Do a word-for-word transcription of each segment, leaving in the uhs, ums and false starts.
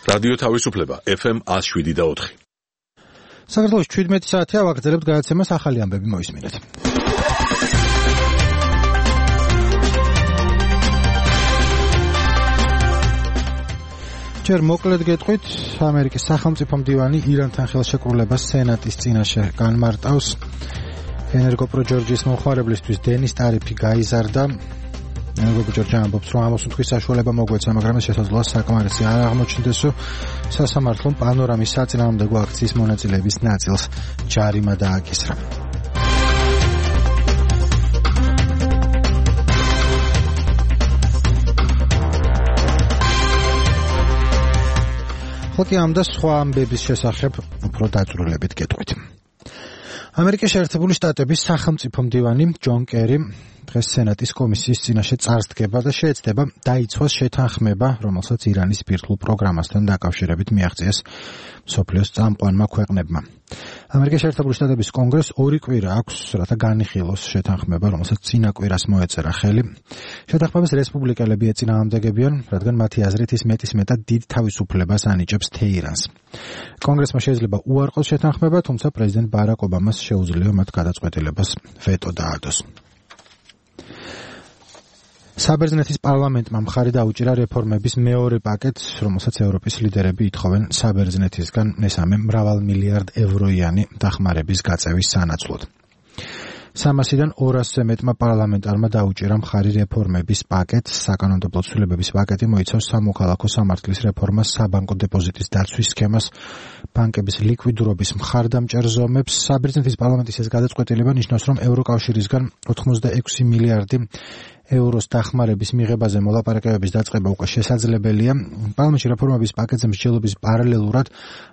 რადიო თავისუფლება ეფ ემ one oh seven და four. საქართველოს შვიდმეტი საათია ვაგრძელებთ გადაცემას ახალი ამბები მოისმინეთ. ჯერ მოკლედ გეტყვით, ამერიკის სახელმწიფო მდივანი ირანთან ხელშეკრულებას სენატის წინაშე განმარტავს. ენერგოპროჯორჯის მომხმარებლისთვის დენის ტარიფი გაიზარდა. ენერგოპროჯორჯი ამბობს, რომ ამოსუნთქვის საშუალება მოგვეცა, მაგრამ ეს შესაძლოა საკმარისი არ აღმოჩნდეს, რომ სასამართლომ პანორამის საწინააღმდეგო აქციის მონაწილეების ნაწილს ჯარიმა დააკისრა. ხოთი ამ და სხვა ამბების შესახებ უფრო დაწვრილებით გეტყვით. ამერიკის შეერთებული შტატების სახელმწიფო მდივანი ჯონ კერი დღეს სენატის კომისიის წინაშე წარს დგება და შეეცდება დაიცვას შეთანხმება, რომელსაც ირანის ბირთვულ პროგრამასთან დაკავშირებით მიაღწიეს მსოფლიოს წამყვანმა ქვეყნებმა. ამერიკის შეერთებული შტატების კონგრესს ორი კვირა აქვს, რათა განიხილოს შეთანხმება, რომელსაც წინა კვირას მოეწერა ხელი. შეთანხმებას რესპუბლიკელები ეწინააღმდეგებიან, რადგან მათი აზრით ის მეტისმეტად დიდ თავისუფლებას ანიჭებს თეირანს. კონგრესმა შეიძლება უარყოს შეთანხმება, თუმცა პრეზიდენტ ბარაკ ობამას შეუძლია მათ გადაწყვეტილებას ვეტო დაადოს. საბერძნეთის პარლამენტმა მხარი დაუჭირა რეფორმების მეორე პაკეტს, რომელსაც ევროპის ლიდერები ითხოვენ საბერძნეთისგან მესამე მრავალმილიარდ ევროიანი დახმარების გაწევის სანაცვლოდ. სამასიდან ორასზე მეტმა პარლამენტარმა დაუჭირა მხარი რეფორმების პაკეტს. საკანონმდებლო ცვლილებების პაკეტი მოიცავს სამოქალაქო სამართლის რეფორმას, საბანკო დეპოზიტის დაცვის სქემას, ბანკების ლიკვიდურობის მხარდამჭერ ზომებს. საბერძნეთის პარლამენტის ეს გადაწყვეტილება ნიშნავს, რომ ევროკავშირისგან ოცდაექვსი მილიარდი ევროს დახმარების მიღებაზე მოლაპარაკებების დაწყება უკვე შესაძლებელია. პარლამენტში რეფორმების პაკეტზე მსჯელობის პარალელურად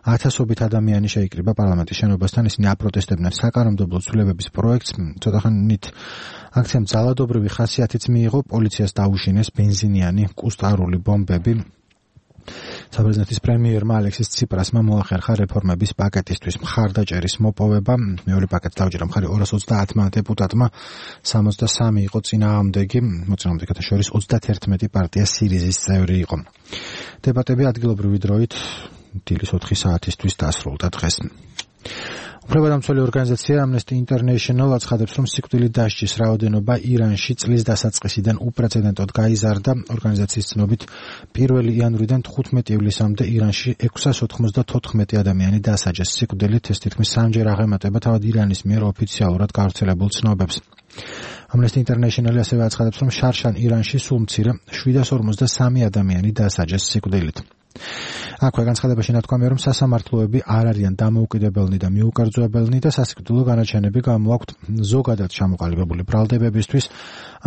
ათასობით ადამიანი შეიკრიბა პარლამენტის შენობასთან. ისინი აპროტესტებდნენ საკანონმდებლო ცვლილებების პროექტს. ცოტახანით აქციამ ძალადობრივი ხასიათიც მიიღო, პოლიციას დაუშინეს ბენზინიანი კუსტარული ბომბები. საბერძნეთის პრემიერმა ალექსის ციპრასმა მოახერხა რეფორმების პაკეტისთვის მხარდაჭერის მოპოვება. მეორე პაკეტს დაუჭირა მხარი ორას ოცდაათმა დეპუტატმა, სამოცდასამი იყო წინააღმდეგი, მოწინააღმდეგეთა შორის ოცდაათერთმეტი პარტია სირიზის წევრი იყო. დებატები ადგილობრივი დროით დილის ოთხი საათისთვის დასრულდა დღეს. უფლებადამცველი ორგანიზაცია Amnesty International აცხადებს, რომ სიკვდილით დასჯის რაოდენობა ირანში წლის დასაწყისიდან უპრეცედენტოდ გაიზარდა. ორგანიზაციის ცნობით, პირველი იანვრიდან თხუთმეტი ივლისამდე ირანში ექვსას ოთხმოცდათოთხმეტი ადამიანი დასაჯეს სიკვდილით. ეს თითქმის სამჯერ აღემატება თავად ირანის მიერ ოფიციალურად გავრცელებულ ცნობებს. Amnesty International ასევე აცხადებს, რომ შარშან ირანში სულ მცირე შვიდას ორმოცდასამი ადამიანი დასაჯეს სიკვდილით. აქვე განცხადებაში ნათქვამია, რომ სასამართლოები არ არიან დამოუკიდებელნი და მიუკერძოებელნი და სასიკვდილო განაჩენები გამოაქვთ ზოგადად ჩამოყალიბებული ბრალდებებისთვის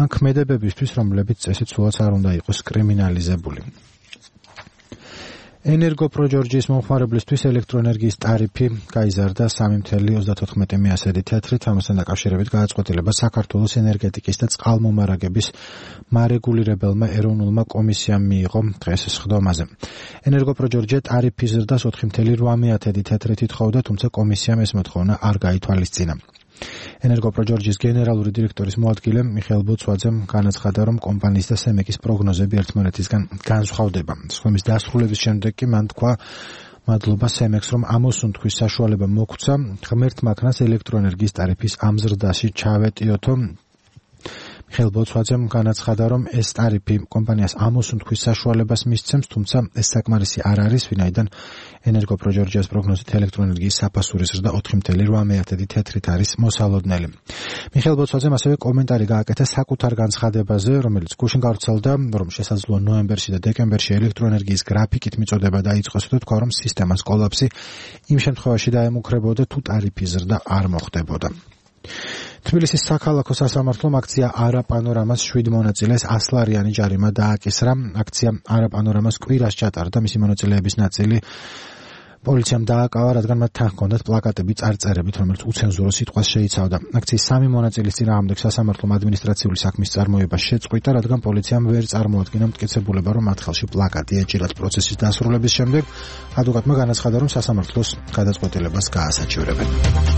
ან ქმედებებისთვის, რომლებიც წესით სულაც არ უნდა იყოს კრიმინალიზებული. ენერგოპროჯორჯის მომხმარებლისთვის ელექტროენერგიის ტარიფი გაიზარდა სამი ოცდაოთხ ათასი თეთრით. ამასთან დაკავშირებით გადაწყვეტილება საქართველოს ენერგეტიკის და წყალმომარაგების მარეგულირებელმა ეროვნულმა კომისიამ მიიღო დღეს სხდომაზე. ენერგოპროჯორჯი ტარიფის ზრდას ოთხი ოცდაოთხ ათასი თეთრით ითხოვდა, თუმცა კომისიამ ეს მოთხოვნა არ გაითვალისწინა. ენერგოპროჯორჯის გენერალური დირექტორის მოადგილე მიხეილ ბოცვაძემ განაცხადა, რომ კომპანიის და სემეკის პროგნოზები ერთმანეთისგან განსხვავდება. სხდომის დასრულების შემდეგ კი მან თქვა, მადლობა სემეკს, რომ ამოსუნთქვის საშუალება მოგვცა, ღმერთ მაქნას ელექტროენერგიის ტარიფის ამ ზრდაში ჩავეტიოთო. მიხეილ ბოცვაძემ განაცხადა, რომ ეს ტარიფი კომპანიას ამოსუნთქვის საშუალებას მისცემს, თუმცა ეს საკმარისი არ არის, ვინაიდან ენერგოპროჯორჯის პროგნოზით ელექტროენერგიის საფასური ზრდა ოთხი ოცდაოთხ ათასი თეთრით არის მოსალოდნელი. მიხეილ ბოცვაძემ ასევე კომენტარი გააკეთა საკუთარ განცხადებაზე, რომელიც გუშინ გავრცელდა, რომ შესაძლოა ნოემბერში და დეკემბერში ელექტროენერგიის გრაფიკით მიწოდება დაიწყოს და თქვა, რომ სისტემას კოლაფსი იმ შემთხვევაში დაემუქრებოდა, თუ ტარიფის ზრდა არ მოხდებოდა. თბილისის საქალაქო სასამართლომ აქცია არა პანორამას შვიდ მონაწილეს ასლარიანი ჯარიმა დააკისრა. აქცია არა პანორამას კვირას ჩატარდა, მისი მონაწილეების ნაწილი პოლიციამ დააკავა, რადგან მათ თან ჰქონდათ პლაკატები წარწერებით, რომელიც უცენზურო სიტყვას შეიცავდა. აქციის სამი მონაწილის წინააღმდეგ სასამართლომ ადმინისტრაციული საქმის წარმოება შეწყვიტა, რადგან პოლიციამ ვერ წარმოადგინა მტკიცებულება, რომ მათ ხელში პლაკატი ეჭირათ. პროცესის დასრულების შემდეგ ადვოკატმა განაცხადა, რომ სასამართლოს გადაწყვეტილებას გაასაჩივრებენ.